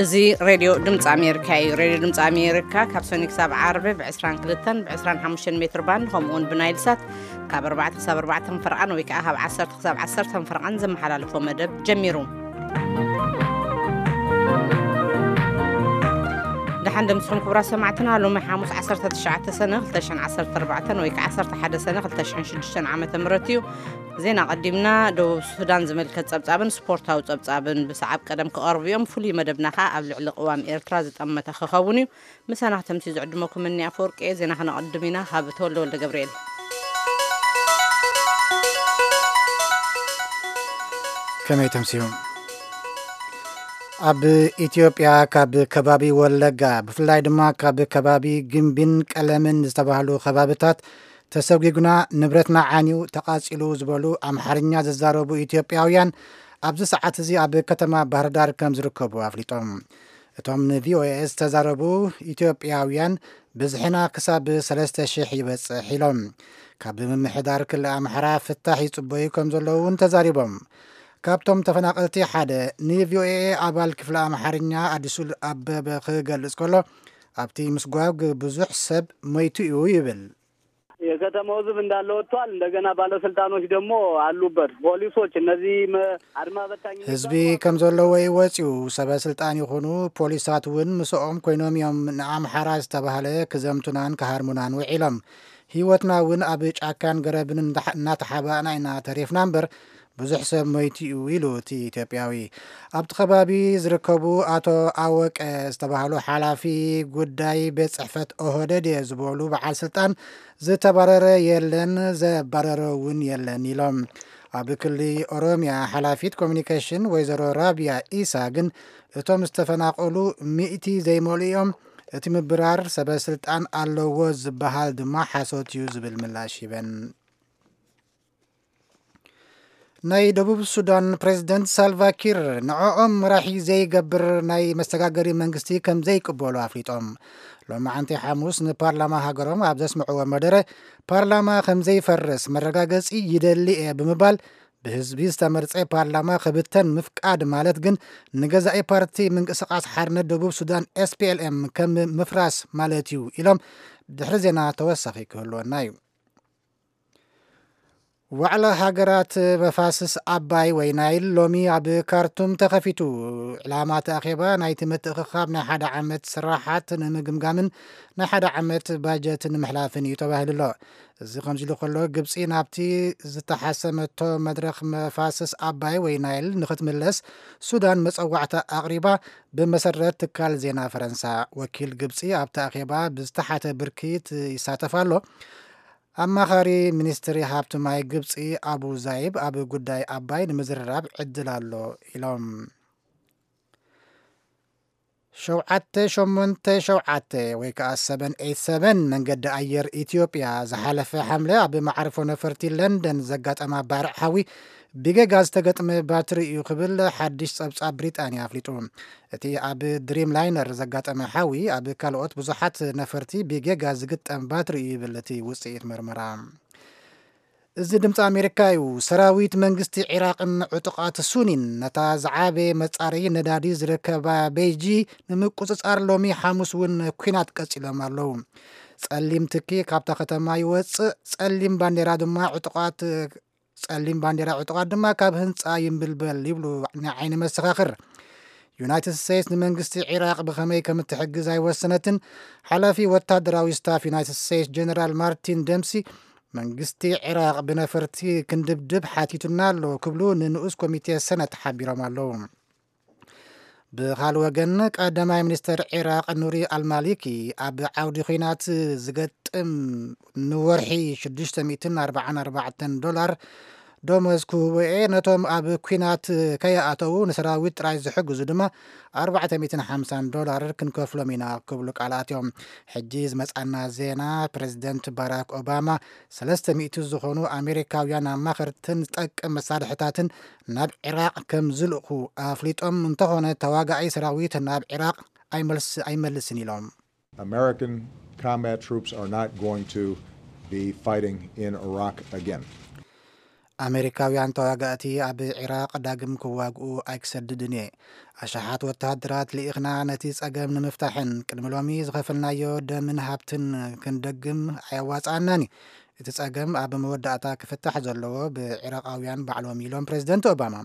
እዚ ሬድዮ ድምፂ ኣሜሪካ እዩ። ሬድዮ ድምፂ ኣሜሪካ ካብ ሰኒ ክሳብ ዓርቢ ብ22 ብ25 ሜትር ባንድ፣ ከምኡ እውን ብናይል ሳት ካብ ኣርባዕተ ክሳብ ኣርባዕተ ፈረቓን ወይ ከዓ ካብ ዓሰርተ ክሳብ ዓሰርተ ፈረቓን ዘመሓላልፎ መደብ ጀሚሩ። ደሓን ደምስኹም ክቡራት ሰማዕትና። ሎሚ ሓሙስ ዓሰርተ ትሽዓተ ሰነ ክልተ ሽሕን ዓሰርተ ኣርባዕተን ወይ ከዓ ዓሰርተ ሓደ ሰነ ክልተ ሽሕን ሽዱሽተን ዓመተ ምህረት እዩ። ዜና ቀዲምና። ደቡብ ሱዳን ዝምልከት ጸብጻብን ስፖርታዊ ጸብጻብን ብሰዓብ ቀደም ክቐርቡ እዮም። ፍሉይ መደብና ከኣ ኣብ ልዕሊ ቅዋም ኤርትራ ዝጠመተ ክኸውን እዩ። ምሳና ክተምሲ ዝዕድመኩም እኒ ኣፈወርቂ እየ። ዜና ከነቐድም ኢና። ካብ ተወልደ ወልደ ገብርኤል። ከመይ ተምስዩ? ኣብ ኢትዮጵያ ካብ ከባቢ ወለጋ፣ ብፍላይ ድማ ካብ ከባቢ ግምቢን ቀለምን ዝተባህሉ ከባብታት ተሰጒጉና፣ ንብረትና ዓንዩ፣ ተቓጺሉ ዝበሉ ኣምሓርኛ ዝዛረቡ ኢትዮጵያውያን ኣብዚ ሰዓት እዚ ኣብ ከተማ ባህርዳር ከም ዝርከቡ ኣፍሊጦም። እቶም ንቪኦኤ ዝተዛረቡ ኢትዮጵያውያን፣ ብዝሕና ክሳብ ሰለስተ ሽሕ ይበጽሕ ኢሎም። ካብ ምምሕዳር ክልል ኣምሓራ ፍታሕ ይጽበዩ ከም ዘለዉ እውን ተዛሪቦም። ካብቶም ተፈናቐልቲ ሓደ ንቪኦኤ ኣባል ክፍሊ ኣምሓርኛ ኣዲሱ ኣበበ ክገልጽ ከሎ፣ ኣብቲ ምስጓግ ብዙሕ ሰብ ሞይቱ እዩ ይብል። የከተማው ህዝብ እንዳለ ወጥቷል። እንደገና ባለስልጣኖች ደግሞ አሉበት፣ ፖሊሶች፣ እነዚህ መ-፣ አድማ በታኝ ህዝቢ የሚባሉ አሉ። ከም ዘለዎ እዩ ወፂኡ። ሰበ ስልጣን ይኹኑ ፖሊሳት እውን ምስኦም ኮይኖም እዮም ንኣምሓራ ዝተባህለ ክዘምቱናን ክሃርሙናን ውዒሎም። ህይወትና እውን ኣብ ጫካን ገረብን እንዳ-፣ እናተሓባእና ኢና ተሪፍና እምበር ብዙሕ ሰብ ሞይቱ እዩ ኢሉ እቲ ኢትዮጵያዊ። ኣብቲ ከባቢ ዝርከቡ ኣቶ ኣወቀ ዝተባህሉ ሓላፊ ጉዳይ ቤት ጽሕፈት ኦህደድ እየ ዝበሉ በዓል ስልጣን፣ ዝተባረረ የለን፣ ዘባረረ እውን የለን ኢሎም። ኣብ ክሊ ኦሮሚያ ሓላፊት ኮሚኒኬሽን ወይዘሮ ራቢያ ኢሳ ግን፣ እቶም ዝተፈናቐሉ ሚእቲ ዘይመልኡ እዮም፣ እቲ ምብራር ሰበ ስልጣን ኣለዎ ዝበሃል ድማ ሓሶት እዩ ዝብል ምላሽ ሂበን። ናይ ደቡብ ሱዳን ፕሬዝደንት ሳልቫ ኪር ንዕኦም መራሒ ዘይገብር ናይ መሰጋገሪ መንግስቲ ከም ዘይቅበሉ ኣፍሊጦም። ሎማዓንቲ ሓሙስ ንፓርላማ ሃገሮም ኣብ ዘስምዕዎ መደረ፣ ፓርላማ ከም ዘይፈርስ መረጋገጺ ይደሊ እየ ብምባል፣ ብህዝቢ ዝተመርጸ ፓርላማ ክብተን ምፍቃድ ማለት ግን ንገዛኢ ፓርቲ ምንቅስቓስ ሓርነት ደቡብ ሱዳን ኤስፒኤልኤም ከም ምፍራስ ማለት እዩ ኢሎም። ድሕሪ ዜና ተወሳኺ ክህልወና እዩ። ዋዕላ ሃገራት መፋስስ ኣባይ ወይ ናይል ሎሚ ኣብ ካርቱም ተኸፊቱ። ዕላማ እቲ ኣኼባ ናይቲ ምትእኽኻብ ናይ ሓደ ዓመት ስራሓት ንምግምጋምን ናይ ሓደ ዓመት ባጀት ንምሕላፍን እዩ ተባሂሉ ኣሎ። እዚ ከምዚ ኢሉ ከሎ፣ ግብጺ ናብቲ ዝተሓሰመቶ መድረኽ መፋስስ ኣባይ ወይ ናይል ንኽትምለስ ሱዳን መጸዋዕታ ኣቕሪባ፣ ብመሰረት ትካል ዜና ፈረንሳ። ወኪል ግብጺ ኣብቲ ኣኼባ ብዝተሓተ ብርኪ ይሳተፍ ኣሎ። ኣማኻሪ ሚኒስትሪ ሃብቲ ማይ ግብጺ ኣቡ ዛይብ ኣብ ጉዳይ ኣባይ ንምዝርራብ ዕድል ኣሎ ኢሎም። ሸውዓተ ሸሞንተ ሸውዓተ ወይ ከዓ ሰቨን ኤይት ሰቨን መንገዲ ኣየር ኢትዮጵያ ዝሓለፈ ሓምለ ኣብ መዓርፎ ነፈርቲ ለንደን ዘጋጠማ ባርዕ ሓዊ ብጌጋ ዝተገጥመ ባትሪ እዩ ክብል ሓድሽ ጸብጻብ ብሪጣንያ ኣፍሊጡ። እቲ ኣብ ድሪም ላይነር ዘጋጠመ ሓዊ ኣብ ካልኦት ብዙሓት ነፈርቲ ብጌጋ ዝግጠም ባትሪ እዩ ይብል እቲ ውጽኢት መርመራ። እዚ ድምፂ ኣሜሪካ እዩ። ሰራዊት መንግስቲ ዒራቕን ዕጡቓት ሱኒን ነታ ዝዓበየ መጻረዪ ነዳዲ ዝርከባ ቤይጂ ንምቁጽጻር ሎሚ ሓሙስ እውን ኲናት ቀጺሎም ኣለዉ። ጸሊም ትኪ ካብታ ከተማ ይወጽእ፣ ጸሊም ባንዴራ ድማ ዕጡቓት፣ ጸሊም ባንዴራ ዕጡቓት ድማ ካብ ህንጻ ይንብልበል ይብሉ ናይ ዓይኒ መሰኻኽር። ዩናይትድ ስቴትስ ንመንግስቲ ዒራቕ ብኸመይ ከም እትሕግዝ ኣይወሰነትን። ሓላፊ ወታደራዊ ስታፍ ዩናይትድ ስቴትስ ጀነራል ማርቲን ደምሲ፣ መንግስቲ ዒራቕ ብነፈርቲ ክንድብድብ ሓቲቱና ኣሎ ክብሉ ንንኡስ ኮሚቴ ሰነት ሓቢሮም ኣለዉ። ብኻልእ ወገን፣ ቀዳማይ ሚኒስተር ዒራቕ ኑሪ ኣልማሊኪ፣ ኣብ ዓውዲ ኲናት ዝገጥም ንወርሒ ሽዱሽተ ሚእትን ኣርባዓን ኣርባዕተን ዶላር ደሞዝ ክህቦ እየ፣ ነቶም ኣብ ኲናት ከይኣተዉ ንሰራዊት ጥራይ ዝሕግዙ ድማ ኣርባዕተ ሚእትን ሓምሳን ዶላር ክንከፍሎም ኢና ክብሉ ቃል ኣትዮም። ሕጂ ዝመጻና ዜና፣ ፕሬዝደንት ባራክ ኦባማ ሰለስተ ሚእቲ ዝኾኑ ኣሜሪካውያን ኣማኸርትን ዝጠቅም መሳርሕታትን ናብ ዒራቕ ከም ዝልእኹ ኣፍሊጦም። እንተኾነ፣ ተዋጋኣይ ሰራዊት ናብ ዒራቕ ኣይመልስ-፣ ኣይመልስን ኢሎም። American combat troops are not going to be fighting in Iraq again. ኣሜሪካውያን ተዋጋእቲ ኣብ ዒራቕ ዳግም ክዋግኡ ኣይክሰድድን እየ። ኣሽሓት ወተሃደራት ልኢኽና ነቲ ጸገም ንምፍታሕን ቅድሚ ሎሚ ዝኸፈልናዮ ደምን ሃብትን ክንደግም ኣየዋጽኣናን እዩ። እቲ ጸገም ኣብ መወዳእታ ክፍታሕ ዘለዎ ብዒራቓውያን ባዕሎም ኢሎም ፕሬዚደንት ኦባማ።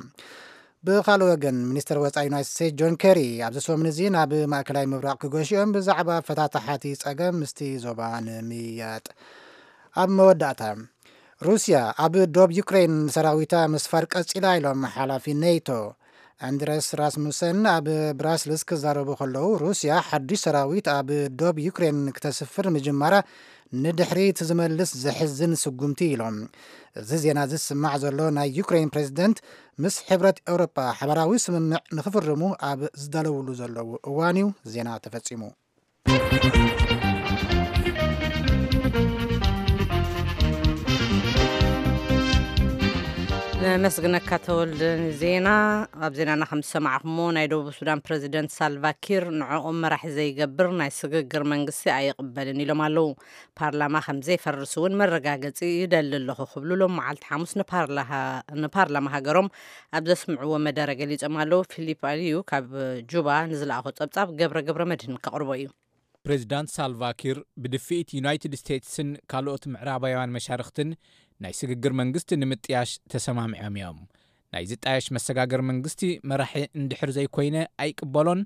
ብኻልእ ወገን ሚኒስትር ወጻኢ ዩናይትድ ስቴትስ ጆን ኬሪ ኣብዚ ሰሙን እዚ ናብ ማእከላይ ምብራቕ ክገሹ እዮም ብዛዕባ ፈታታሓቲ ጸገም ምስቲ ዞባ ንምያጥ። ኣብ መወዳእታ ሩስያ ኣብ ዶብ ዩክሬን ሰራዊታ ምስፋር ቀጺላ ኢሎም ሓላፊ ኔቶ። ኣንድረስ ራስሙሰን ኣብ ብራስልስ ክዛረቡ ከለዉ ሩስያ ሓዱሽ ሰራዊት ኣብ ዶብ ዩክሬን ክተስፍር ምጅማራ ንድሕሪት ዝመልስ ዘሕዝን ስጉምቲ ኢሎም። እዚ ዜና እዚ ዝስማዕ ዘሎ ናይ ዩክሬን ፕሬዝደንት ምስ ሕብረት ኤውሮጳ ሓበራዊ ስምምዕ ንኽፍርሙ ኣብ ዝዳለውሉ ዘለዉ እዋን እዩ ዜና ተፈጺሙ። ነመስግነካ ተወልደ ንዜና። ኣብ ዜናና ከም ዝሰማዕኹሞ ናይ ደቡብ ሱዳን ፕረዚደንት ሳልቫኪር ንዕኦም መራሒ ዘይገብር ናይ ስግግር መንግስቲ ኣይቕበልን ኢሎም ኣለዉ። ፓርላማ ከም ዘይፈርስ እውን መረጋገጺ ይደሊ ኣለኹ ክብሉ ሎም መዓልቲ ሓሙስ ንፓርላሃ-፣ ንፓርላማ ሃገሮም ኣብ ዘስምዕዎ መደረ ገሊጾም ኣለዉ። ፊሊፕ ኣልዩ ካብ ጁባ ንዝለኣኾ ጸብጻብ ገብረ ገብረ መድህን ከቕርቦ እዩ። ፕሬዚዳንት ሳልቫኪር ብድፍኢት ዩናይትድ ስቴትስን ካልኦት ምዕራባውያን መሻርኽትን ናይ ስግግር መንግስቲ ንምጥያሽ ተሰማሚዖም እዮም። ናይ ዝጣየሽ መሰጋገር መንግስቲ መራሒ እንድሕር ዘይኮይነ ኣይቅበሎን፣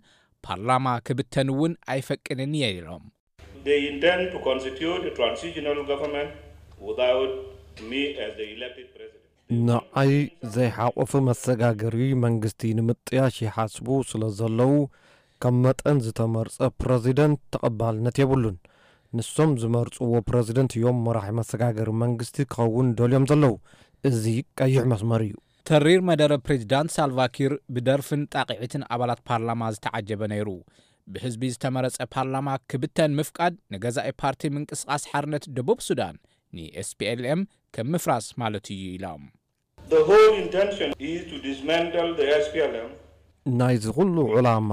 ፓርላማ ክብተን እውን ኣይፈቅድን እየ ኢሎም። They intend to constitute a transitional government without me as the elected president. ንዓይ ዘይሓቆፈ መሰጋገሪ መንግስቲ ንምጥያሽ ይሓስቡ ስለ ዘለዉ፣ ከም መጠን ዝተመርጸ ፕረዚደንት ተቐባልነት የብሉን። ንሶም ዝመርጽዎ ፕረዚደንት እዮም መራሒ መሰጋገሪ መንግስቲ ክኸውን ደልዮም ዘለዉ። እዚ ቀይሕ መስመር እዩ። ተሪር መደረ ፕሬዚዳንት ሳልቫኪር ብደርፍን ጣቕዒትን ኣባላት ፓርላማ ዝተዓጀበ ነይሩ። ብህዝቢ ዝተመረጸ ፓርላማ ክብተን ምፍቃድ ንገዛኢ ፓርቲ ምንቅስቓስ ሓርነት ደቡብ ሱዳን፣ ን S P L M፣ ከም ምፍራስ ማለት እዩ ኢሎም። The whole intention is to dismantle the S P L M. ናይዚ ኩሉ ዕላማ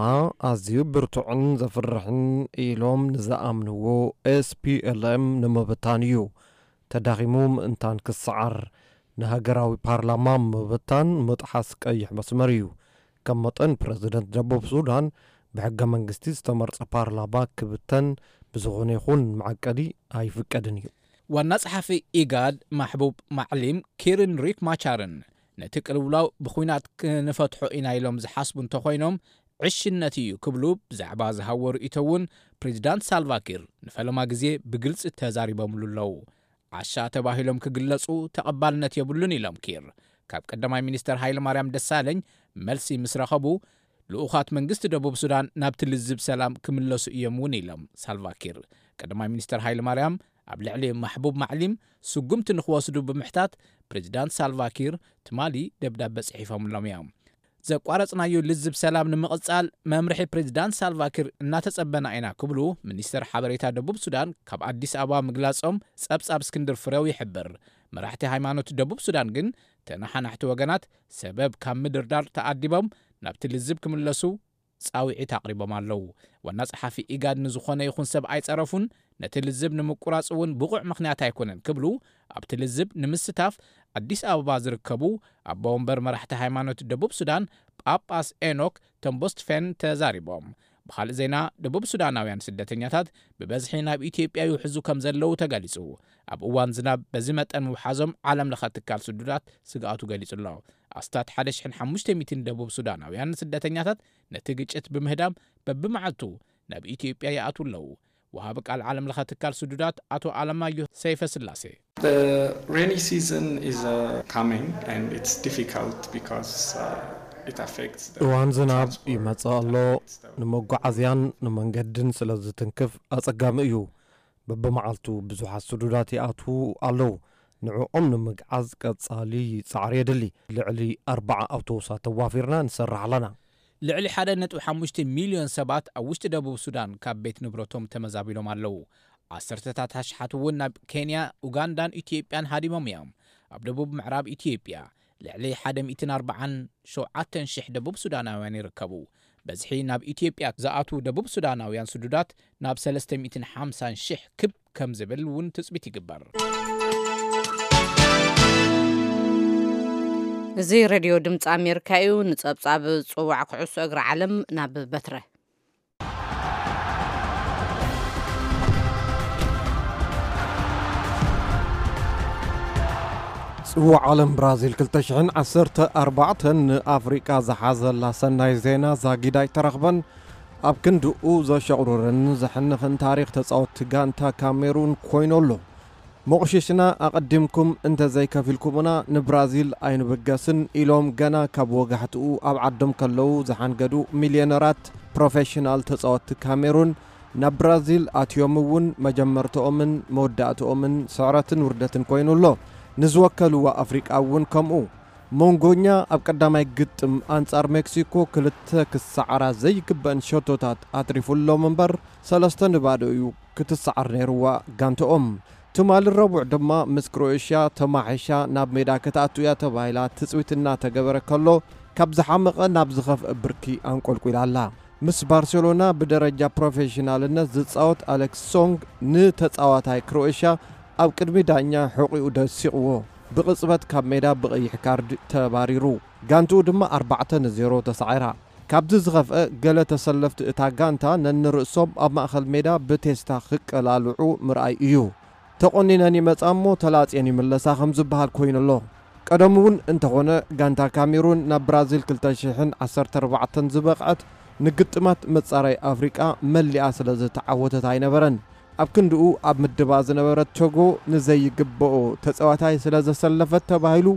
ኣዝዩ ብርቱዕን ዘፍርሕን ኢሎም ንዝኣምንዎ S P L M ንምብታን እዩ። ተዳኺሙ ምእንታን ክሰዓር፣ ንሃገራዊ ፓርላማ ምብታን ምጥሓስ ቀይሕ መስመር እዩ። ከም መጠን ፕረዚደንት ደቡብ ሱዳን ብሕገ መንግስቲ ዝተመርጸ ፓርላማ ክብተን ብዝኾነ ይኹን መዐቀሊ ኣይፍቀድን እዩ። ዋና ጸሓፊ ኢጋድ ማሕቡብ ማዕሊም ኪርን ሪክ ማቻርን ነቲ ቅልውላው ብኹናት ክንፈትሖ ኢና ኢሎም ዝሓስቡ እንተኾይኖም፣ ዕሽነት እዩ ክብሉ ብዛዕባ ዝሃቦ ርእይቶ እውን ፕሬዚዳንት ሳልቫኪር ንፈለማ ግዜ ብግልጺ ተዛሪቦምሉ ኣለዉ። ዓሻ ተባሂሎም ክግለጹ ተቐባልነት የብሉን ኢሎም ኪር። ካብ ቀዳማይ ሚኒስተር ሃይለማርያም ደሳለኝ መልሲ ምስ ረኸቡ፣ ልኡኻት መንግስቲ ደቡብ ሱዳን ናብቲ ልዝብ ሰላም ክምለሱ እዮም እውን ኢሎም ሳልቫኪር። ቀዳማይ ሚኒስተር ሃይለማርያም ኣብ ልዕሊ ማሕቡብ ማዕሊም ስጉምቲ ንክወስዱ ብምሕታት ፕሬዚዳንት ሳልቫኪር ትማሊ ደብዳበ ጽሒፎምሎም እዮም። ዘቋረጽናዮ ልዝብ ሰላም ንምቕጻል መምርሒ ፕሬዚዳንት ሳልቫኪር እናተጸበና ኢና ክብሉ ሚኒስተር ሓበሬታ ደቡብ ሱዳን ካብ ኣዲስ ኣበባ ምግላጾም ጸብጻብ እስክንድር ፍሬው ይሕብር። መራሕቲ ሃይማኖት ደቡብ ሱዳን ግን ተነሓናሕቲ ወገናት ሰበብ ካብ ምድርዳር ተኣዲቦም ናብቲ ልዝብ ክምለሱ ጻውዒት ኣቕሪቦም ኣለዉ። ዋና ጸሓፊ ኢጋድ ንዝኾነ ይኹን ሰብ ኣይጸረፉን፣ ነቲ ልዝብ ንምቁራጽ እውን ብቑዕ ምኽንያት ኣይኮነን ክብሉ ኣብቲ ልዝብ ንምስታፍ ኣዲስ ኣበባ ዝርከቡ ኣቦ ወንበር መራሕቲ ሃይማኖት ደቡብ ሱዳን ጳጳስ ኤኖክ ተምቦስትፌን ተዛሪቦም። ብኻልእ ዜና፣ ደቡብ ሱዳናውያን ስደተኛታት ብበዝሒ ናብ ኢትዮጵያ ይውሕዙ ከም ዘለዉ ተገሊጹ። ኣብ እዋን ዝናብ በዚ መጠን ምውሓዞም ዓለም ለኸ ትካል ስዱዳት ስግኣቱ ገሊጹ ኣሎ። ኣስታት ሓደ ሽሕን ሓሙሽተ ሚእትን ደቡብ ሱዳናውያን ስደተኛታት ነቲ ግጭት ብምህዳም በብመዓልቱ ናብ ኢትዮጵያ ይኣትዉ ኣለዉ። ወሃቢ ቃል ዓለም ለኸ ትካል ስዱዳት ኣቶ ኣለማዮ ሰይፈ ስላሴ። The rainy season is uh, coming and it's difficult because uh, it affects the እዋን ዝናብ transport. ይመጽእ ኣሎ። It's the ንመጓዓዝያን ንመንገድን ስለ ዝትንክፍ ኣጸጋሚ እዩ። በብመዓልቱ ብዙሓት ስዱዳት ይኣትዉ ኣለዉ። ንዕኦም ንምግዓዝ ቀጻሊ ጻዕሪ የድሊ። ልዕሊ ኣርባዓ ኣውቶቡሳት ተዋፊርና ንሰርሕ ኣለና። ልዕሊ ሓደ ነጥቢ ሓሙሽተ ሚልዮን ሰባት ኣብ ውሽጢ ደቡብ ሱዳን ካብ ቤት ንብረቶም ተመዛቢሎም ኣለዉ። ዓሰርተታት ኣሽሓት እውን ናብ ኬንያ፣ ኡጋንዳን ኢትዮጵያን ሃዲሞም እዮም። ኣብ ደቡብ ምዕራብ ኢትዮጵያ ልዕሊ ሓደ ሚእትን ኣርባዓን ሸውዓተን ሽሕ ደቡብ ሱዳናውያን ይርከቡ። በዝሒ ናብ ኢትዮጵያ ዝኣትዉ ደቡብ ሱዳናውያን ስዱዳት ናብ ሰለስተ ሚእትን ሓምሳን ሽሕ ክብ ከም ዝብል እውን ትጽቢት ይግበር። እዚ ሬድዮ ድምፂ ኣሜሪካ እዩ። ንፀብፃብ ፅዋዕ ኩዕሶ እግሪ ዓለም ናብ በትረ። ጽዋዕ ዓለም ብራዚል ክልተ ሽሕን ዓሰርተ ኣርባዕተን ንኣፍሪቃ ዝሓዘላ ሰናይ ዜና ዛጊድ ኣይተረኽበን። ኣብ ክንድኡ ዘሸቑርርን ዘሕንኽን ታሪኽ ተጻወትቲ ጋንታ ካሜሩን ኮይኑ ኣሎ። መቑሽሽና ኣቐዲምኩም እንተዘይከፊልኩምና ንብራዚል ኣይንብገስን ኢሎም ገና ካብ ወጋሕትኡ ኣብ ዓዶም ከለዉ ዝሓንገዱ ሚልዮነራት ፕሮፌሽናል ተጻወትቲ ካሜሩን ናብ ብራዚል ኣትዮም እውን መጀመርትኦምን መወዳእትኦምን ስዕረትን ውርደትን ኮይኑ ኣሎ። ንዝወከልዋ ኣፍሪቃ እውን ከምኡ። ሞንጎኛ ኣብ ቀዳማይ ግጥም ኣንጻር ሜክሲኮ ክልተ ክሰዓራ ዘይግበአን ሸቶታት ኣትሪፉሎም እምበር፣ ሰለስተ ንባዶ እዩ ክትሰዓር ነይርዋ ጋንትኦም። ትማሊ ረቡዕ ድማ ምስ ክሮኤሽያ ተማሒሻ ናብ ሜዳ ክትኣቱ እያ ተባሂላ ትጽቢት እናተገበረ ከሎ፣ ካብ ዝሓመቐ ናብ ዝኸፍአ ብርኪ ኣንቆልቁላ ኣላ። ምስ ባርሴሎና ብደረጃ ፕሮፌሽናልነት ዝጻወት ኣሌክስ ሶንግ ንተጻዋታይ ክሮኤሽያ ኣብ ቅድሚ ዳኛ ሕቑኡ ደሲቕዎ፣ ብቕጽበት ካብ ሜዳ ብቐይሕ ካርድ ተባሪሩ። ጋንትኡ ድማ ኣርባዕተ ንዜሮ ተሳዒራ። ካብዚ ዝኸፍአ፣ ገለ ተሰለፍቲ እታ ጋንታ ነንርእሶም ኣብ ማእከል ሜዳ ብቴስታ ክቀላልዑ ምርኣይ እዩ። "ተቖኒነን ይመጻ እሞ ተላጽየን ይምለሳ" ከም ዝበሃል ኮይኑ ኣሎ። ቀደም እውን እንተኾነ፣ ጋንታ ካሜሩን ናብ ብራዚል ክልተ ሽሕን ዓሰርተ ኣርባዕተን ዝበቕዐት ንግጥማት መጻረይ ኣፍሪቃ መሊኣ ስለ ዝተዓወተት ኣይነበረን። ኣብ ክንድኡ፣ ኣብ ምድባ ዝነበረት ቶጎ ንዘይግብኦ ተጻዋታይ ስለ ዘሰለፈት ተባሂሉ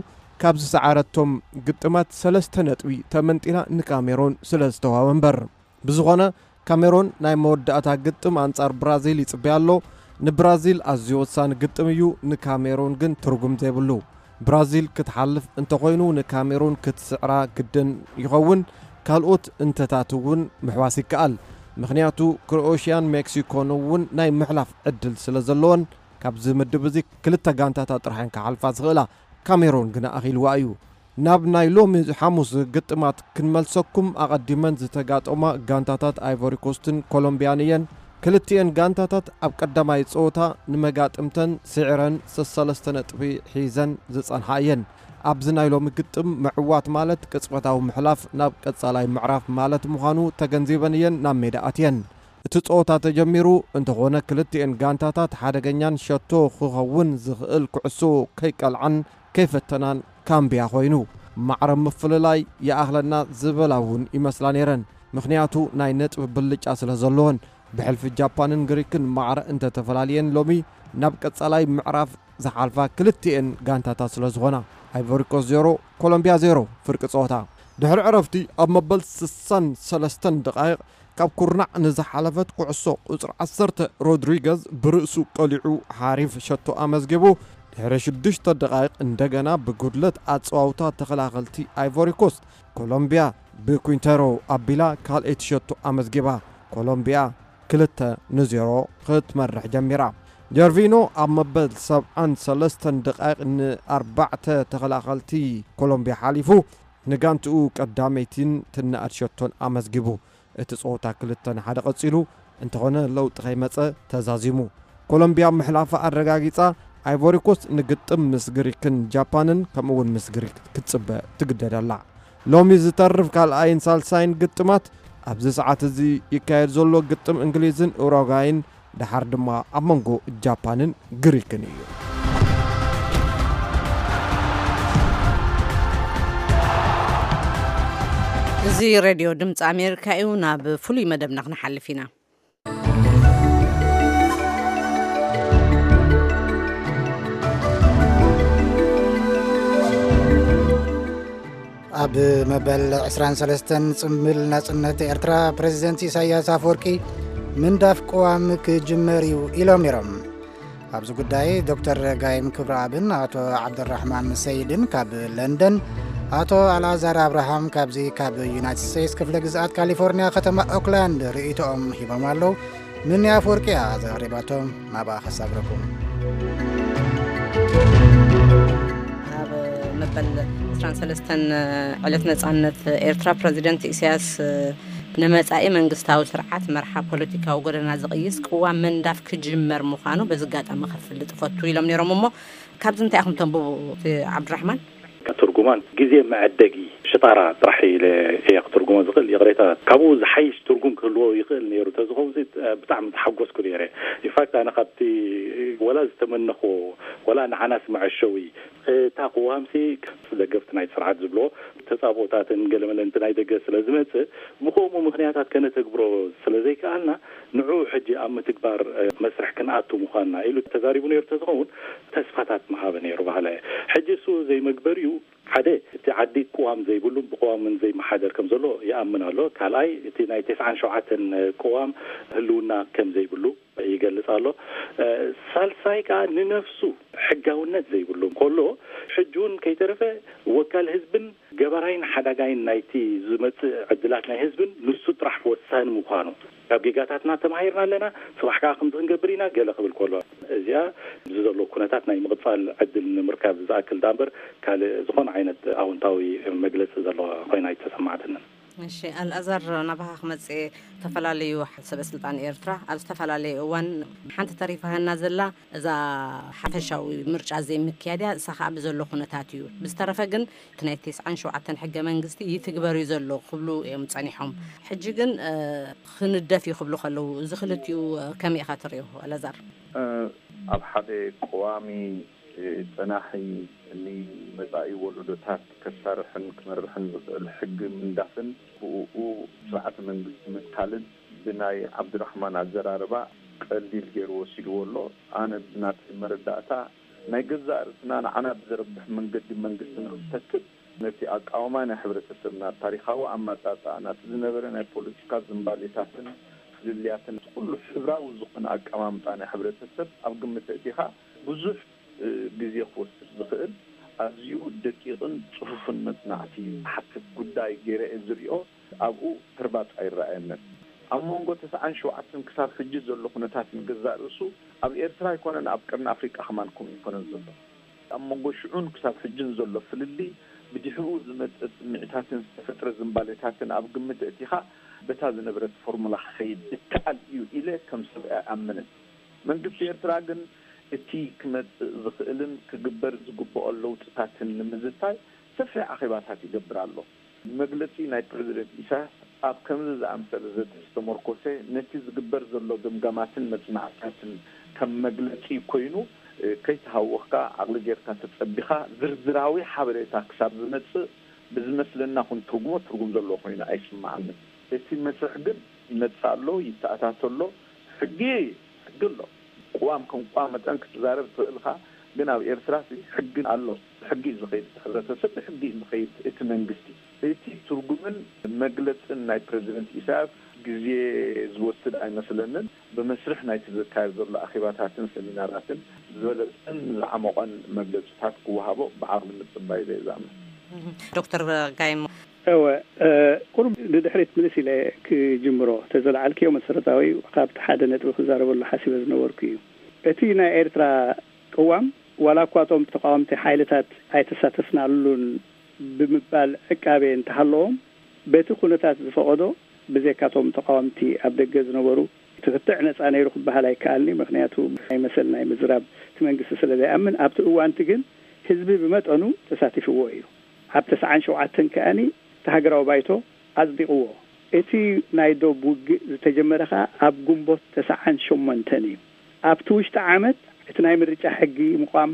ካብ ዝሰዓረቶም ግጥማት ሰለስተ ነጥቢ ተመንጢላ ንካሜሮን ስለ ዝተዋህበ እምበር። ብዝኾነ፣ ካሜሮን ናይ መወዳእታ ግጥም ኣንጻር ብራዚል ይጽበያ ኣሎ። ንብራዚል ኣዝዩ ወሳኒ ግጥም እዩ፣ ንካሜሮን ግን ትርጉም ዘይብሉ። ብራዚል ክትሓልፍ እንተኾይኑ፣ ንካሜሩን ክትስዕራ ግድን ይኸውን። ካልኦት እንተታት እውን ምሕዋስ ይከኣል። ምኽንያቱ፣ ክሮኤሽያን ሜክሲኮን እውን ናይ ምሕላፍ ዕድል ስለ ዘለወን፣ ካብዚ ምድብ እዚ ክልተ ጋንታታት ጥራሕ እየን ክሓልፋ ዝኽእላ። ካሜሩን ግና ኣኺልዋ እዩ። ናብ ናይ ሎሚ ሓሙስ ግጥማት ክንመልሰኩም፣ ኣቐዲመን ዝተጋጠማ ጋንታታት ኣይቮሪ ኮስትን ኮሎምቢያን እየን። ክልቲኤን ጋንታታት ኣብ ቀዳማይ ጸወታ ንመጋጥምተን ስዒረን ሰሰለስተ ነጥቢ ሒዘን ዝጸንሓ እየን። ኣብዚ ናይ ሎሚ ግጥም ምዕዋት ማለት ቅጽበታዊ ምሕላፍ ናብ ቀጻላይ ምዕራፍ ማለት ምዃኑ ተገንዚበን እየን ናብ ሜዳ ኣትየን። እቲ ጸወታ ተጀሚሩ እንተኾነ፣ ክልቲኤን ጋንታታት ሓደገኛን ሸቶ ክኸውን ዝኽእል ኩዕሶ ከይቀልዓን ከይፈተናን ካምብያ ኮይኑ። ማዕረ ምፍልላይ ይኣኽለና ዝበላ እውን ይመስላ ነይረን። ምኽንያቱ፣ ናይ ነጥቢ ብልጫ ስለ ዘለወን። ብሕልፊ ጃፓንን ግሪክን ማዕረ እንተተፈላልየን፣ ሎሚ ናብ ቀጻላይ ምዕራፍ ዝሓልፋ ክልቲኤን ጋንታታት ስለ ዝኾና። ኣይቮሪኮስ ዜሮ፣ ኮሎምቢያ ዜሮ። ፍርቂ ጸወታ። ድሕሪ ዕረፍቲ፣ ኣብ መበል ስሳን ሰለስተን ደቓይቕ፣ ካብ ኩርናዕ ንዝሓለፈት ኩዕሶ ቁጽሪ ዓሰርተ ሮድሪገዝ ብርእሱ ቀሊዑ ሓሪፍ ሸቶ ኣመዝጊቡ። ድሕሪ ሽዱሽተ ደቓይቕ፣ እንደገና ብጉድለት ኣጸዋውታ ተኸላኸልቲ ኣይቮሪኮስ፣ ኮሎምቢያ ብኩንተሮ ኣቢላ ካልኣይቲ ሸቶ ኣመዝጊባ። ኮሎምቢያ ክልተ ንዜሮ ክትመርሕ ጀሚራ። ጀርቪኖ ኣብ መበል ሰብዓን ሰለስተን ደቓይቕ ንኣርባዕተ ተኸላኸልቲ ኮሎምቢያ ሓሊፉ፣ ንጋንትኡ ቀዳመይቲን ትነኣድ ሸቶን ኣመዝጊቡ። እቲ ጸወታ ክልተ ንሓደ ቀጺሉ እንተኾነ፣ ለውጢ ከይመጸ ተዛዚሙ። ኮሎምቢያ ምሕላፋ ኣረጋጊጻ፣ ኣይቮሪኮስ ንግጥም ምስ ግሪክን ጃፓንን ከምኡ'ውን ምስ ግሪክ ክትጽበ ትግደድ ኣላ። ሎሚ ዝተርፍ ካልኣይን ሳልሳይን ግጥማት ኣብዚ ሰዓት እዚ ይካየድ ዘሎ ግጥም እንግሊዝን ኡሩጓይን፣ ደሓር ድማ ኣብ መንጎ ጃፓንን ግሪክን እዩ። እዚ ሬድዮ ድምፂ ኣሜሪካ እዩ። ናብ ፍሉይ መደብና ክንሓልፍ ኢና። ኣብ መበል ዕስራን ሰለስተን ጽምብል ናጽነት ኤርትራ፣ ፕሬዚደንት ኢሳያስ ኣፈወርቂ ምንዳፍ ቅዋም ክጅመር እዩ ኢሎም ነይሮም። ኣብዚ ጉዳይ ዶክተር ጋይም ክብረኣብን ኣቶ ዓብደራሕማን ሰይድን ካብ ለንደን፣ ኣቶ ኣልኣዛር ኣብርሃም ካብዚ ካብ ዩናይትድ ስቴትስ ክፍለ ግዝኣት ካሊፎርኒያ ከተማ ኦክላንድ ርእይቶኦም ሂቦም ኣለዉ። ምኒ ኣፈወርቂ እያ ዘቕሪባቶም፣ ናብኣ ከሳግረኩም። ኣብ መበል ዕስራን ሰለስተን ዕለት ነጻነት ኤርትራ፣ ፕረዚደንት ኢሳያስ ንመጻኢ መንግስታዊ ስርዓት መርሓ ፖለቲካዊ ጎደና ዝቕይስ ቅዋም ምንዳፍ ክጅመር ምዃኑ በዚ ኣጋጣሚ ከፍልጥ እፈቱ ኢሎም ነይሮም። እሞ ካብዚ እንታይ ኢኹም ተንብቡ፣ እቲ ዓብዱራሕማን? ትርጉ ጉማን ግዜ መዐደጊ ሽጣራ ጥራሕ ኢለ እየ ክትርጉሞ ዝኽእል። ይቕሬታ፣ ካብኡ ዝሓይሽ ትርጉም ክህልዎ ይኽእል ነይሩ። ተዝኸውን ብጣዕሚ ተሓጎስኩ ነይረ። ኢንፋክት፣ ኣነ ካብቲ ወላ ዝተመነኹ፣ ወላ ንዓናስ መዐሸዊ፣ እታ ቅዋምሲ ደገፍቲ ናይ ስርዓት ዝብሎ ተጻብኦታትን ገለመለንቲ ናይ ደገ ስለ ዝመጽእ፣ ብኸምኡ ምኽንያታት ከነተግብሮ ስለ ዘይከኣልና፣ ንዑ ሕጂ ኣብ ምትግባር መስርሕ ክንኣቱ ምዃንና ኢሉ ተዛሪቡ ነይሩ። ተዝኸውን ተስፋታት መሃበ ነይሩ ባህላ እየ። ሕጂ እሱ ዘይመግበሪኡ፣ ሓደ፣ እቲ ዓዲ ቅዋም ዘይብሉን ብቅዋምን ዘይመሓደር ከም ዘሎ ይኣምን ኣሎ። ካልኣይ፣ እቲ ናይ ተስዓን ሸውዓተን ቅዋም ህልውና ከም ዘይብሉ ይገልጽ ኣሎ። ሳልሳይ ከኣ፣ ንነፍሱ ሕጋውነት ዘይብሉ ከሎ፣ ሕጂ እውን ከይተረፈ ወካል ህዝብን ገባራይን ሓዳጋይን ናይቲ ዝመጽእ ዕድላት ናይ ህዝብን ንሱ ጥራሕ ወሳኒ ምዃኑ፣ ካብ ጌጋታትና ተማሂርና ኣለና፣ ጽባሕ ከኣ ከምዚ ክንገብር ኢና፣ ገለ ክብል ከሎ፣ እዚኣ እዚ ዘሎ ኩነታት ናይ ምቕጻል ዕድል ንምርካብ ዝኣክል ዳኣ እምበር፣ ካልእ ዝኾነ ዓይነት ኣወንታዊ መግለጺ ዘለዎ ኮይና ኣይተሰማዕትንን። እሺ፣ ኣልኣዛር፣ ናባኻ ክመጽእ፣ ዝተፈላለዩ ሰበ ስልጣን ኤርትራ ኣብ ዝተፈላለየ እዋን፣ ሓንቲ ተሪፋሃና ዘላ እዛ ሓፈሻዊ ምርጫ ዘይምክያድያ፣ እሳ ከዓ ብዘሎ ኩነታት እዩ። ብዝተረፈ ግን እቲ ናይ ተስዓን ሸውዓተን ሕገ መንግስቲ ይትግበር እዩ ዘሎ ክብሉ እዮም ጸኒሖም። ሕጂ ግን ክንደፍ እዩ ክብሉ ከለዉ፣ እዚ ክልቲኡ ከመይ ኢኻ ትሪኦ፣ ኣልኣዛር? ኣብ ሓደ ቀዋሚ ጸናሒ፣ ንመጻኢ ወለዶታት ከሳርሕን ክመርሕን ዝኽእል ሕጊ ምንዳፍን ብኡ ስርዓተ መንግስቲ ምትካልን፣ ብናይ ዓብዱራሕማን ኣዘራርባ፣ ቀሊል ገይሩ ወሲድዎ ኣሎ። ኣነ ብናተይ መረዳእታ፣ ናይ ገዛእ ርእስና ንዓና ብዘርብሕ መንገዲ መንግስቲ ንክንተክል፣ ነቲ ኣቃውማ ናይ ሕብረተሰብና፣ ታሪኻዊ ኣመጻጽኣ፣ ናቲ ዝነበረ ናይ ፖለቲካ ዝንባሌታትን ፍልልያትን፣ ኩሉ ሕብራዊ ዝኾነ ኣቀማምጣ ናይ ሕብረተሰብ ኣብ ግምት ኣእቲኻ፣ ብዙሕ ግዜ ክወስድ ዝኽእል፣ ኣዝዩ ደቂቕን ጽፉፍን መጽናዕቲ ዝሓትት ጉዳይ ገይረ እየ ዝሪኦ። ኣብኡ ህርባጽ ኣይረኣየንን። ኣብ መንጎ ተስዓን ሸውዓተን ክሳብ ሕጂ ዘሎ ኩነታትን ገዛእ ርእሱ ኣብ ኤርትራ ኣይኮነን፣ ኣብ ቀርኒ ኣፍሪቃ ከማን ከምኡ ኣይኮነን ዘሎ። ኣብ መንጎ ሽዑን ክሳብ ሕጅን ዘሎ ፍልልይ፣ ብድሕሪኡ ዝመጽእ ስምዒታትን ዝተፈጥረ ዝንባሌታትን ኣብ ግምት ኣእቲኻ፣ በታ ዝነበረት ፎርሙላ ክኸይድ ይከኣል እዩ ኢለ ከም ሰብ ኣይኣምንን። መንግስቲ ኤርትራ ግን፣ እቲ ክመጽእ ዝኽእልን ክግበር ዝግብኦ ለውጥታትን ንምዝታይ ሰፊሕ ኣኼባታት ይገብር ኣሎ። መግለጺ ናይ ፕረዚደንት ኢሳያስ ኣብ ከምዚ ዝኣምሰለ ዘተ ዝተመርኮሰ፣ ነቲ ዝግበር ዘሎ ግምጋማትን መጽናዕትታትን ከም መግለጺ ኮይኑ፣ እ፣ ከይተሃወኽካ፣ ዓቕሊ ጌርካ ተጸቢኻ፣ ዝርዝራዊ ሓበሬታ ክሳብ ዝመጽእ፣ ብዝመስለና ክንትርጉሞ ትርጉም ዘለዎ ኮይኑ ኣይስምዓንን። እቲ መስርሕ ግን ይመጽእ ኣሎ፣ ይተኣታቶ ኣሎ። ሕጊ፣ ሕጊ ኣሎ። ቅዋም ከም ቅዋም መጠን ክትዛረብ ትኽእል ኢኻ፣ ግን ኣብ ኤርትራ ሲ ሕጊ ኣሎ። ብሕጊ እዩ ዝኸይድ፣ እቲ ሕብረተሰብ ብሕጊ እዩ ዝኸይድ፣ እቲ መንግስቲ። እቲ ትርጉምን መግለጽን ናይ ፕረዚደንት ኢሳያስ ግዜ ዝወስድ ኣይመስለንን። ብመስርሕ ናይቲ ዝካየድ ዘሎ ኣኼባታትን ሰሚናራትን ዝበለጸን ዝዓሞቐን መግለጽታት ክወሃቦ ብዓቕሊ ምጽባይ ኢለ እየ ዝኣምን። ዶክተር ጋይሞ። እወ፣ እ፣ ቁሩብ ንድሕሪት ምልስ ኢለ ክጅምሮ፣ ተዘለዓልክዮ መሰረታዊ፣ ካብቲ ሓደ ነጥቢ ክዛረበሉ ሓሲበ ዝነበርኩ እዩ። እቲ ናይ ኤርትራ ቅዋም፣ ዋላ እኳ እቶም ተቃወምቲ ሓይልታት ኣይተሳተፍናሉን ብምባል ዕቃቤ እንተሃለዎም፣ በቲ ኩነታት ዝፈቐዶ፣ ብዘይካቶም ተቃወምቲ ኣብ ደገ ዝነበሩ፣ እቲ ክትዕ ነጻ ነይሩ ክበሃል ኣይከኣልኒ። ምኽንያቱ ናይ መሰል ናይ ምዝራብ እቲ መንግስቲ ስለ ዘይኣምን፣ ኣብቲ እዋንቲ ግን ህዝቢ ብመጠኑ ተሳቲፍዎ እዩ። ኣብ ተስዓን ሸውዓተን ከኣኒ እቲ ሃገራዊ ባይቶ ኣጽዲቕዎ። እቲ ናይ ዶብ ውግእ ዝተጀመረ ከኣ ኣብ ግንቦት ተስዓን ሸሞንተን እዩ። ኣብቲ ውሽጢ ዓመት እቲ ናይ ምርጫ ሕጊ ምቋም፣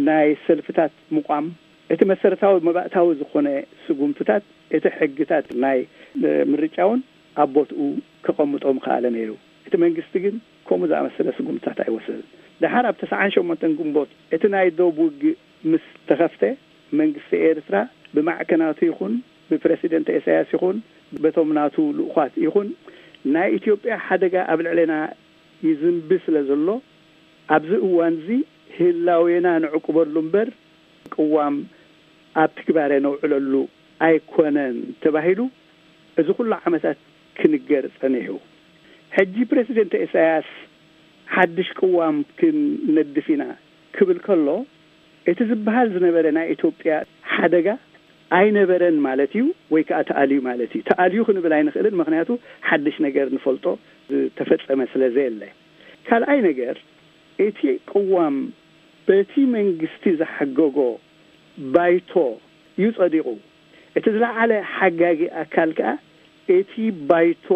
ናይ ሰልፍታት ምቋም፣ እቲ መሰረታዊ መባእታዊ ዝኾነ ስጉምትታት፣ እቲ ሕግታት ናይ፣ እ፣ ምርጫ እውን ኣብ ቦትኡ ከቐምጦ ምኸኣለ ነይሩ። እቲ መንግስቲ ግን ከምኡ ዝኣመሰለ ስጉምትታት ኣይወሰደን። ደሓር ኣብ ተስዓን ሸሞንተን ግንቦት እቲ ናይ ዶብ ውግእ ምስ ተኸፍተ፣ መንግስቲ ኤርትራ ብማዕከናቱ ይኹን ብፕረሲደንት ኢሳያስ ይኹን በቶም ናቱ ልኡኻት ይኹን፣ ናይ ኢትዮጵያ ሓደጋ ኣብ ልዕሌና ይዝንቢ ስለ ዘሎ፣ ኣብዚ እዋንዚ ህላዌና ንዕቁበሉ እምበር ቅዋም ኣብ ትግባረ ነውዕለሉ ኣይኮነን ተባሂሉ፣ እዚ ኩሉ ዓመታት ክንገር ጸኒሑ። ሕጂ ፕረሲደንት ኢሳያስ ሓድሽ ቅዋም ክንነድፍ ኢና ክብል ከሎ፣ እቲ ዝበሃል ዝነበረ ናይ ኢትዮጵያ ሓደጋ ኣይነበረን ማለት እዩ፣ ወይ ከኣ ተኣልዩ ማለት እዩ። ተኣልዩ ክንብል ኣይንኽእልን፣ ምኽንያቱ ሓድሽ ነገር ንፈልጦ ዝተፈጸመ ስለ ዘየለ። ካልኣይ ነገር፣ እቲ ቅዋም በቲ መንግስቲ ዝሓገጎ ባይቶ እዩ ጸዲቑ። እቲ ዝለዓለ ሓጋጊ ኣካል ከኣ እቲ ባይቶ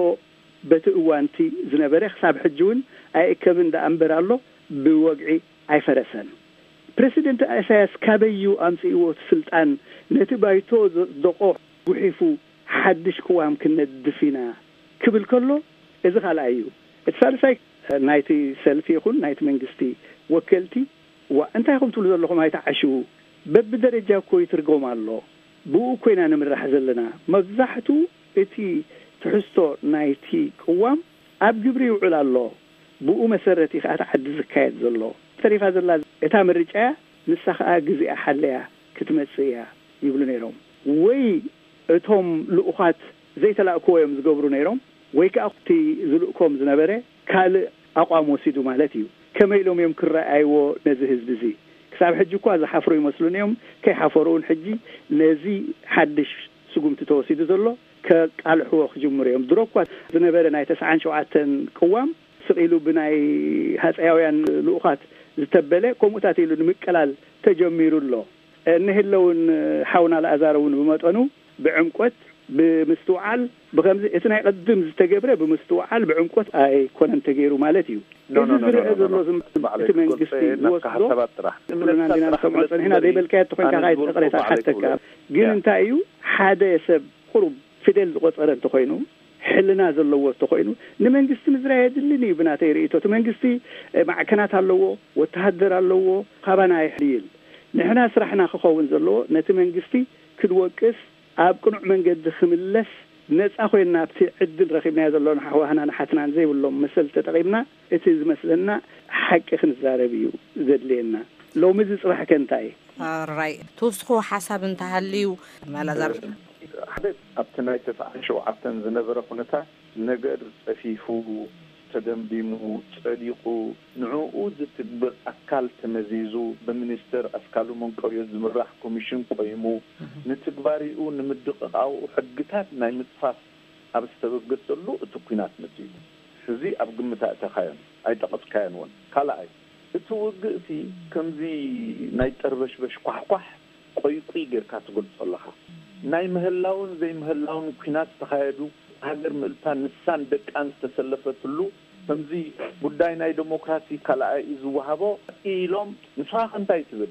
በቲ እዋንቲ ዝነበረ ክሳብ ሕጂ እውን ኣይእከብን ደኣ እምበር ኣሎ፣ ብወግዒ ኣይፈረሰን። ፕረሲደንት ኢሳያስ ካበዩ ኣምጽእዎ እቲ ስልጣን ነቲ ባይቶ ዘጽደቆ ጉሒፉ ሓድሽ ቅዋም ክነድፍ ኢና ክብል ከሎ፣ እዚ ካልኣይ እዩ። እቲ ሳልሳይ ናይቲ ሰልፊ ይኹን ናይቲ መንግስቲ ወከልቲ፣ ዋ እንታይ ኢኹም ትብሉ ዘለኹም? ኣይተዓሽዉ። በብደረጃ እኮ ይትርጎም ኣሎ። ብኡ እኮ ኢና ንምራሕ ዘለና። መብዛሕቱ እቲ ትሕዝቶ ናይቲ ቅዋም ኣብ ግብሪ ይውዕል ኣሎ። ብኡ መሰረት እዩ ከኣ እቲ ዓዲ ዝካየድ ዘሎ። ተሪፋ ዘላ እታ ምርጫ እያ። ንሳ ከኣ ግዜኣ ሓለያ ክትመጽእ እያ ይብሉ ነይሮም። ወይ እቶም ልኡኻት ዘይተላእክዎ እዮም ዝገብሩ ነይሮም፣ ወይ ከኣ እቲ ዝልእኮም ዝነበረ ካልእ ኣቋም ወሲዱ ማለት እዩ። ከመይ ኢሎም እዮም ክረኣይዎ ነዚ ህዝቢ እዚ? ክሳብ ሕጂ እኳ ዝሓፍሩ ይመስሉን እዮም። ከይሓፈሩ እውን ሕጂ ነዚ ሓድሽ ስጉምቲ ተወሲዱ ዘሎ ከቃልሕዎ ክጅምሩ እዮም። ድሮ እኳ ዝነበረ ናይ ተስዓን ሸውዓተን ቅዋም ስቕ ኢሉ ብናይ ሃፀያውያን ልኡኻት ዝተበለ ከምኡታት ኢሉ ንምቅላል ተጀሚሩ ኣሎ። እኒህለውን ሓውና ለኣዛር እውን ብመጠኑ ብዕምቆት ብምስትውዓል ብኸምዚ እቲ ናይ ቅድም ዝተገብረ ብምስትውዓል ብዕምቆት ኣይኮነን ተገይሩ ማለት እዩ። ኖ፣ ኖ፣ እዚ ኖ፣ ኖ፣ ዝረአ ኖ፣ ኖ፣ ዘሎ ኖ። ዝም-፣ ባዕለይ እቲ መንግስቲ ክገልጸ ናትካ ዝወስዶ ሓሳባት ጥራሕ። ኩልና እምነታት እንዲና ጥራሕ ንሰምዖ ስለ ጸኒሕና። ትብለኒ ዘይበልካዮ ተኾይንካ ኣነ ካዓ ዝብልኩ ይቅሬታ ባዕለይ ክብለካ። ሓተካ። ግን ያ። እንታይ እዩ ሓደ ሰብ ቁሩብ ፊደል ዝቆጸረ እንተኾይኑ፣ ሕልና ዘለዎ እንተኾይኑ፣ ንመንግስቲ ምዝራይ የድልን እዩ። ብናተይ ርእይቶ፣ እቲ መንግስቲ፣ እ፣ ማዕከናት ኣለዎ፣ ወተሃደር ኣለዎ፣ ካባና ይሕይል። ንሕና ስራሕና ክኸውን ዘለዎ፣ ነቲ መንግስቲ ክንወቅስ፣ ኣብ ቅኑዕ መንገዲ ክምለስ፣ ነጻ ኮይንና ኣብቲ ዕድል ረኺብናዮ ዘሎና ኣሕዋህናን ኣሓትናን ዘይብሎም መሰል ተጠቒምና፣ እቲ ዝመስለና ሓቂ ክንዛረብ እዩ ዘድልየና። ሎሚ እዚ ጽባሕ ከ እንታይ? ራይ፣ ትውስኽዎ ሓሳብ እንተሃልዩ፣ ማላዛር። ሓደ ኣብቲ ናይ ተስዓን ሸውዓተን ዝነበረ ኩነታት ነገር ጸፊፉ፣ ተደምዲሙ፣ ጸዲቑ፣ ንዕኡ ዝትግብር ኣካል ተመዚዙ፣ ብሚኒስተር ኣስካሉ መንቀርዮ ዝምራሕ ኮሚሽን ቆይሙ፣ ንትግባሪኡ ንምድቕቓኡ ሕግታት ናይ ምጽፋፍ ኣብ ዝተበገሰሉ እቲ ኲናት መጺኡ። እዚ ኣብ ግምት ኣእተኻዮን ኣይጠቐስካዮን እውን። ካልኣይ፣ እቲ ውግእ እቲ ከምዚ ናይ ጠርበሽበሽ ኳሕኳሕ ቆይቁይ ጌርካ ትገልጾ ኣለኻ። ናይ ምህላውን ዘይምህላውን ኲናት ዝተኻየዱ፣ ሃገር ምእልታን ንሳን ደቃን ዝተሰለፈትሉ፣ ከምዚ ጉዳይ ናይ ዴሞክራሲ ካልኣይ እዩ ዝወሃቦ ኢሎም፣ ንስኻ ከ እንታይ ትብል?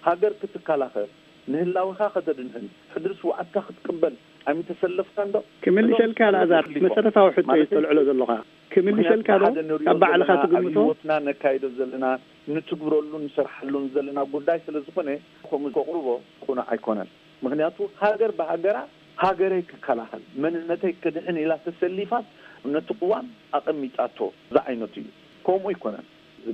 ሃገር ክትከላኸል፣ ንህላወኻ ከተድንህን፣ ሕድሪ ስውኣትካ ክትቅበል ኣይምተሰለፍካን ዶ? ክምልሸልካ እቶም ኣልኣዛር፣ ተሰሊፎም መሰረታዊ ሕቶ እዩ ማለተይ ዝተልዕሎ ዘለኻ። ክምልሸልካ ዶ? ምኽንያቱ ሓደ ንሪኦ ካብ ባዕልኻ ዘለና፣ ኣብ ትግምቶ? ህይወትና ነካይዶ ዘለና፣ ንትግብረሉ፣ ንሰርሓሉን ዘለና ጉዳይ ስለ ዝኾነ፣ ከምኡ ከቕርቦ ቅኑዕ ኣይኮነን። ምኽንያቱ ሃገር ብሃገራ፣ ሃገረይ ክከላኸል፣ መንነተይ ክድሕን ኢላ ተሰሊፋ ነቲ ቅዋም ኣቐሚጣቶ ዝዓይነቱ እዩ። ከምኡ ኣይኮነን።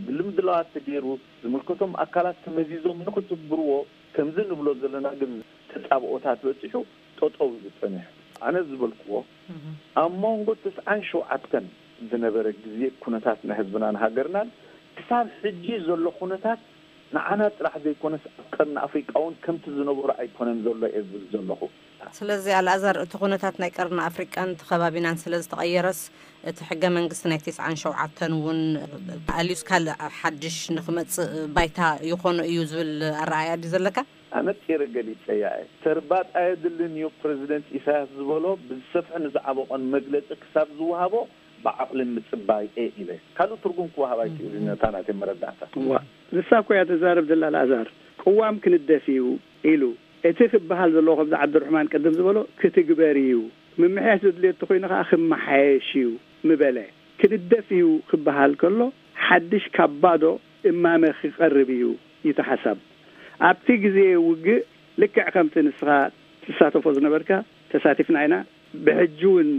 ብምድላዋት ተገይሩ፣ ዝምልከቶም ኣካላት ተመዚዞም ንክትግብርዎ፣ ከምዚ ንብሎ ዘለና ግን ተጻብኦታት በጺሑ ጠጠው እዩ ዝጸንሕ። ኣነ ዝበልክዎ፣ ኣብ መንጎ ተስዓን ሸውዓተን ዝነበረ ግዜ ኩነታት ናይ ህዝብናን ሃገርናን ክሳብ ሕጂ ዘሎ ኩነታት ንዓና ጥራሕ ዘይኮነስ ኣብ ቀርኒ ኣፍሪቃ እውን ከምቲ ዝነበሮ ኣይኮነን ዘሎ እየ ዝብል ዘለኹ። ስለዚ ኣልኣዛር፣ እቲ ኩነታት ናይ ቀርኒ ኣፍሪቃን እቲ ከባቢናን ስለ ዝተቐየረስ፣ እቲ ሕገ መንግስቲ ናይ ተስዓን ሸውዓተን እውን ኣልዩስ ካልእ ሓድሽ ንክመጽእ ባይታ ይኾኖ እዩ ዝብል ኣረኣእያ ድዩ ዘለካ? ኣነጺረ ገሊጸያ እየ። ተርባጥ ኣየድልን እዩ። ፕረዚደንት ኢሳያስ ዝበሎ ብዝሰፍሐን ዝዓበቖን መግለጺ ክሳብ ዝወሃቦ ብዓቕሊ ምጽባይ እየ ኢለ። ካልእ ትርጉም ክወሃብ ኣይክእልን እዩ፣ ነታ ናተይ መረዳእታ። እዋ፣ ንሳ እኮ እያ ትዛረብ ዘላ ኣልኣዛር። ቅዋም ክንደፍ እዩ ኢሉ። እቲ ክበሃል ዘለዎ ከምዚ ዓብዱርሕማን ቅድም ዝበሎ ክትግበር እዩ። ምምሕያሽ ዘድልዮ እንተኾይኑ ከኣ ክመሓየሽ እዩ ምበለ። ክንደፍ እዩ ክበሃል ከሎ ሓድሽ ካብ ባዶ እማመ ክቐርብ እዩ እቲ ሓሳብ። ኣብቲ ግዜ ውግእ ልክዕ ከምቲ ንስኻ ትሳተፎ ዝነበርካ ተሳቲፍና ኢና። ብሕጂ እውን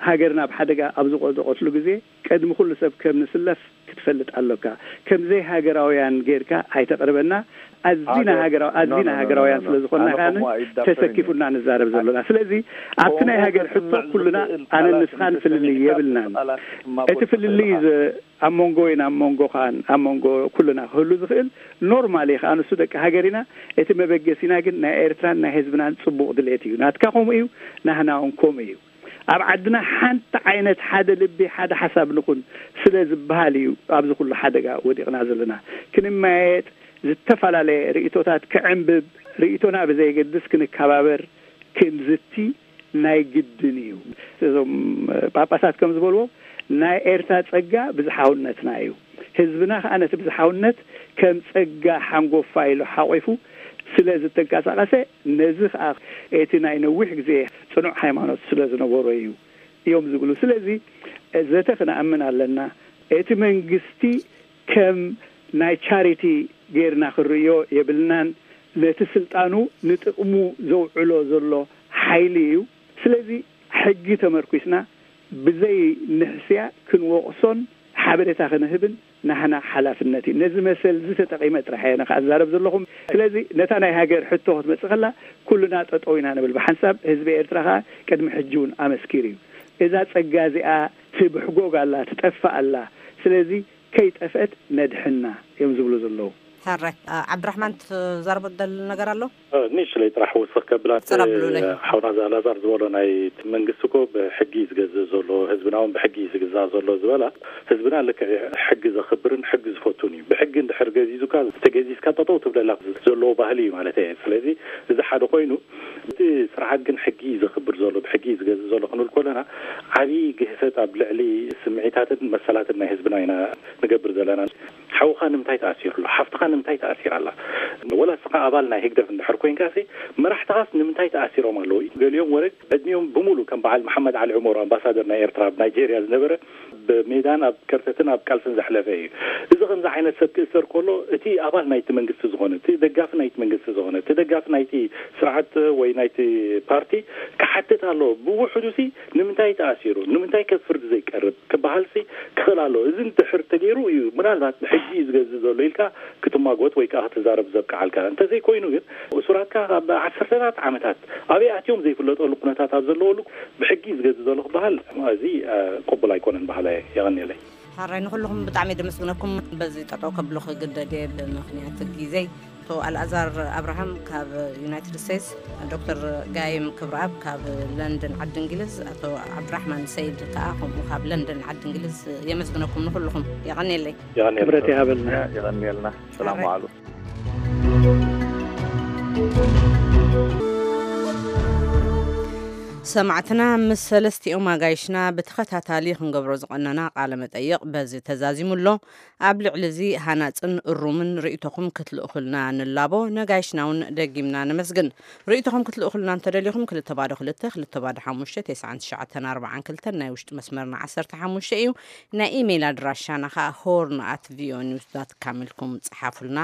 ሃገርና ኣብ ሓደጋ ኣብ ዝወደቐትሉ ግዜ ቅድሚ ኩሉ ሰብ ከም ንስለፍ ክትፈልጥ ኣሎካ። ከም ዘይሃገራውያን ጌርካ ኣይተቕርበና። ኣዚና ኣደ-፣ ሃገራው-፣ ኖ፣ ኣዚና ኖ፣ ኖ፣ ሃገራውያን ኖ፣ ኖ። ስለ ዝኾንና ኣነ ከኣ ከምኡ ኣይዳፈርን እየ። ተሰኪፉና ንዛረብ ኣደ-፣ ዘለና። ስለዚ ኣብቲ ናይ ከምኡ ሃገር ሕቶ ከስምዕ ኩልና ዝኽእል ኣነ ቃላት ንስኻን ፍልልይ እንተሰሚዕካ የብልናን። ቃላት ክማጎት እቲ ፍልልይ ትኽእል ኢኻ። ዘ-፣ ኣብ መንጎ ወይን ኣብ መንጎ ከኣን ኣብ መንጎ ኩልና ክህሉ ዝኽእል ኖርማል እዩ። ከኣ ንሱ ደቂ ሃገር ኢና። እቲ መበገሲና ግን ናይ ኤርትራን ናይ ህዝብናን ጽቡቕ ድሌት እዩ። ናትካ ከምኡ እዩ፣ ናህና እውን ከምኡ እዩ። ኣብ ዓድና ሓንቲ ዓይነት ሓደ ልቢ፣ ሓደ ሓሳብ ንኹን ስለ ዝበሃል እዩ ኣብዚ ኩሉ ሓደጋ ወዲቕና ዘለና። ክንመያየጥ፣ ዝተፈላለየ ርእይቶታት ክዕንብብ፣ ርእይቶና ብዘየገድስ ክንከባበር፣ ክንዝቲ ናይ ግድን እዩ። እዞም ጳጳሳት ከም ዝበልዎ፣ ናይ ኤርትራ ጸጋ ብዝሓውነትና እዩ። ህዝብና ከኣ ነቲ ብዝሓውነት ከም ጸጋ ሓንጎፋ ኢሉ ሓቂፉ ስለ ዝተንቀሳቐሰ፣ ነዚ ከኣ እቲ ናይ ነዊሕ ግዜ ጽኑዕ ሃይማኖት ስለ ዝነበሮ እዩ እዮም ዝብሉ። ስለዚ ዘተ ክንኣምን ኣለና። እቲ መንግስቲ ከም ናይ ቻሪቲ ጌርና ክንርእዮ የብልናን። ነቲ ስልጣኑ ንጥቕሙ ዘውዕሎ ዘሎ ሓይሊ እዩ። ስለዚ ሕጊ ተመርኲስና ብዘይ ንሕስያ ክንወቕሶን ሓበሬታ ክንህብን ናህና ሓላፍነት እዩ። ነዚ መሰል እዚ ተጠቒመ ጥራሕ እየ ንክኣዛረብ ዘለኹም። ስለዚ ነታ ናይ ሃገር ሕቶ ክትመጽእ ከላ ኩልና ጠጠው ኢና ንብል ብሓንሳብ። ህዝቢ ኤርትራ ከኣ ቅድሚ ሕጂ እውን ኣመስኪሩ እዩ። እዛ ጸጋ እዚኣ ትብሕጎግ ኣላ፣ ትጠፍእ ኣላ። ስለዚ ከይጠፍአት ነድሕና እዮም ዝብሉ ዘለዉ። ሕራይ። አ፣ ዓብድራሕማን ትዛረቦ ትደሊ ነገር ኣሎ? እ፣ ንእሽተይ ጥራሕ ወሰኽ ከብላ፣ ቅጽል ኣብሉለይ። ሓውና ዛላዛር ዝበሎ ናይ እቲ መንግስቲ እኮ ብሕጊ እዩ ዝገዝእ ዘሎ፣ ህዝብና እውን ብሕጊ እዩ ዝግዛእ ዘሎ ዝበላ፣ ህዝብና ልክዕ ሕጊ ዘኽብርን ሕጊ ዝፈቱን እዩ። ብሕጊ እንድሕር ገዚዙካ፣ ተገዚዝካ ጠጠው ትብለላ ዘለዎ ባህሊ እዩ ማለት እየ። ስለዚ እዚ ሓደ ኮይኑ፣ እቲ ስርዓት ግን ሕጊ እዩ ዘኽብር ዘሎ፣ ብሕጊ እዩ ዝገዝእ ዘሎ ክንብል ከለና፣ ዓብዪ ግህሰት ኣብ ልዕሊ ስምዒታትን መሰላትን ናይ ህዝብና ኢና ንገብር ዘለና። ሓውኻ ንምንታይ ተኣሲሩ ኣሎ? ሓፍትኻ ንምንታይ ተኣሲራ ኣላ? ወላ እስኻ ኣባል ናይ ህግደፍ እንድሕር ኮይንካሲ፣ መራሕትኻስ ንምንታይ ተኣሲሮም ኣለዉ? ገሊኦም ወረግ ዕድሚኦም ብምሉእ ከም በዓል መሓመድ ዓሊ ዑመር፣ ኣምባሳደር ናይ ኤርትራ ኣብ ናይጄርያ ዝነበረ፣ ብሜዳን ኣብ ከርተትን ኣብ ቃልስን ዘሕለፈ እዩ። እዚ ከምዚ ዓይነት ሰብ ክእሰር ከሎ፣ እቲ ኣባል ናይቲ መንግስቲ ዝኾነ፣ እቲ ደጋፊ ናይቲ መንግስቲ ዝኾነ፣ እቲ ደጋፊ ናይቲ ስርዓት ወይ ናይቲ ፓርቲ ክሓትት ኣለዎ። ብውሕዱሲ ንምንታይ ተኣሲሩ? ንምንታይ ከ ፍርዲ ዘይቀርብ? ክበሃልሲ ክኽእል ኣለዎ። እዚ እንድሕር ተገይሩ እዩ ምናልባት ብሕጊ እዩ ዝገዝእ ዘሎ ኢልካ ክትማጎት ወይ ከዓ ክትዛረብ ዘብቅዓልካ። እንተዘይኮይኑ ግን እሱራትካ ኣብ ዓሰርተታት ዓመታት ኣበይ ኣትዮም ዘይፍለጠሉ ኩነታት ኣብ ዘለወሉ ብሕጊ እዩ ዝገዝእ ዘሎ ክበሃል፣ እዚ፣ እ፣ ቅቡል ኣይኮነን በሃላይ እየ። የቐንየለይ። ሕራይ፣ ንኹልኹም ብጣዕሚ ደመስግነኩም። በዚ ጠጠው ከብሎ ክግደድ እየ ብምኽንያት ግዜይ። ኣቶ ኣልኣዛር ኣብርሃም ካብ ዩናይትድ ስቴትስ፣ ዶክተር ጋይም ክብረኣብ ካብ ለንደን ዓዲ እንግሊዝ፣ ኣቶ ዓብድራሕማን ሰይድ ከኣ ከምኡ ካብ ለንደን ዓዲ እንግሊዝ የመስግነኩም ንኹልኹም። የቐንየለይ። የቐንየልና። ክብረት ይሃበልና። የቐንየልና። ሰላም ሕራይ። ዋዕሉ። ሰማዕትና፣ ምስ ሰለስቲኦም ኣጋይሽና ብተኸታታሊ ክንገብሮ ዝቐነና ቃለ መጠይቕ በዚ ተዛዚሙ ኣሎ። ኣብ ልዕሊ እዚ ሃናጽን እሩምን ርእይቶኹም ክትልእኹልና ንላቦ። ነጋይሽና እውን ደጊምና ነመስግን። ርእይቶኹም ክትልእኹልና እንተደሊኹም፣ ክልተ ባዶ ክልተ፣ ክልተ ባዶ ሓሙሽተ፣ ተስዓን ትሽዓተን ኣርባዓን ክልተን ናይ ውሽጢ መስመርና ዓሰርተ ሓሙሽተ እዩ። ናይ ኢሜይል ኣድራሻና ኸኣ ሆርን ኣት ቪኦኤ ኒውስ ዳት ካም ኢልኩም ጸሓፉልና፣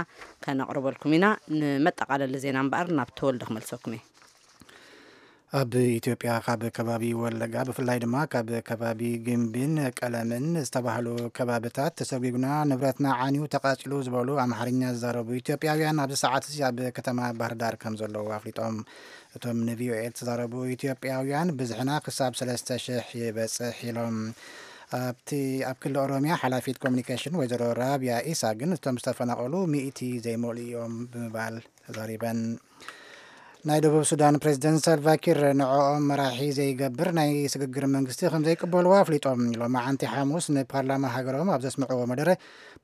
ከነቕርበልኩም ኢና። ንመጠቓለሊ ዜና እምበኣር ናብ ተወልደ ክመልሰኩም እየ። ኣብ ኢትዮጵያ ካብ ከባቢ ወለጋ፣ ብፍላይ ድማ ካብ ከባቢ ግምቢን ቀለምን ዝተባህሉ ከባብታት ተሰጒጉና፣ ንብረትና ዓንዩ ተቓጺሉ ዝበሉ ኣምሓርኛ ዝዛረቡ ኢትዮጵያውያን ኣብዚ ሰዓት እዚ ኣብ ከተማ ባህር ዳር ከም ዘለዉ ኣፍሊጦም። እቶም ንቪኦኤ ዝተዛረቡ ኢትዮጵያውያን፣ ብዝሕና ክሳብ ሰለስተ ሽሕ ይበጽሕ ኢሎም። ኣብቲ፣ ኣብ ክልል ኦሮሚያ ሓላፊት ኮሚኒኬሽን ወይዘሮ ራብያ ኢሳ ግን፣ እቶም ዝተፈናቐሉ ሚእቲ ዘይመልኡ እዮም ብምባል ተዛሪበን። ናይ ደቡብ ሱዳን ፕሬዝደንት ሳልቫኪር ንዕኦም መራሒ ዘይገብር ናይ ስግግር መንግስቲ ከም ዘይቅበልዎ ኣፍሊጦም። ሎማዓንቲ ሓሙስ ንፓርላማ ሃገሮም ኣብ ዘስምዕዎ መደረ፣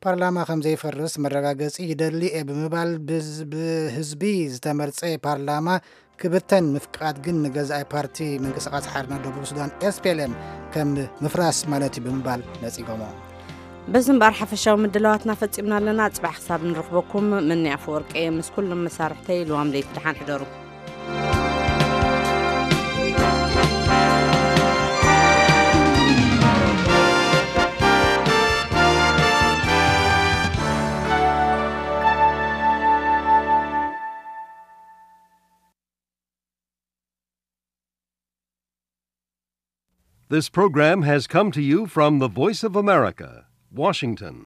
ፓርላማ ከም ዘይፈርስ መረጋገጺ ይደሊ እየ ብምባል፣ ብዝ-፣ ብህዝቢ ዝተመርጸ ፓርላማ ክብተን ምፍቃድ ግን ንገዛኢ ፓርቲ ምንቅስቃስ ሓርነት ደቡብ ሱዳን፣ ኤስፒኤልኤም፣ ከም ምፍራስ ማለት እዩ ብምባል ነጺጎሞ። በዚ እምበኣር ሓፈሻዊ ምድላዋትና ፈጺምና ኣለና። ጽባሕ ክሳብ ንረኽበኩም፣ ምኒ ኣፈወርቂ ምስ ኩሎም መሳርሕተይ ልዋም ለይቲ ደሓን ሕደሩ። This program has come to you from the Voice of America, Washington.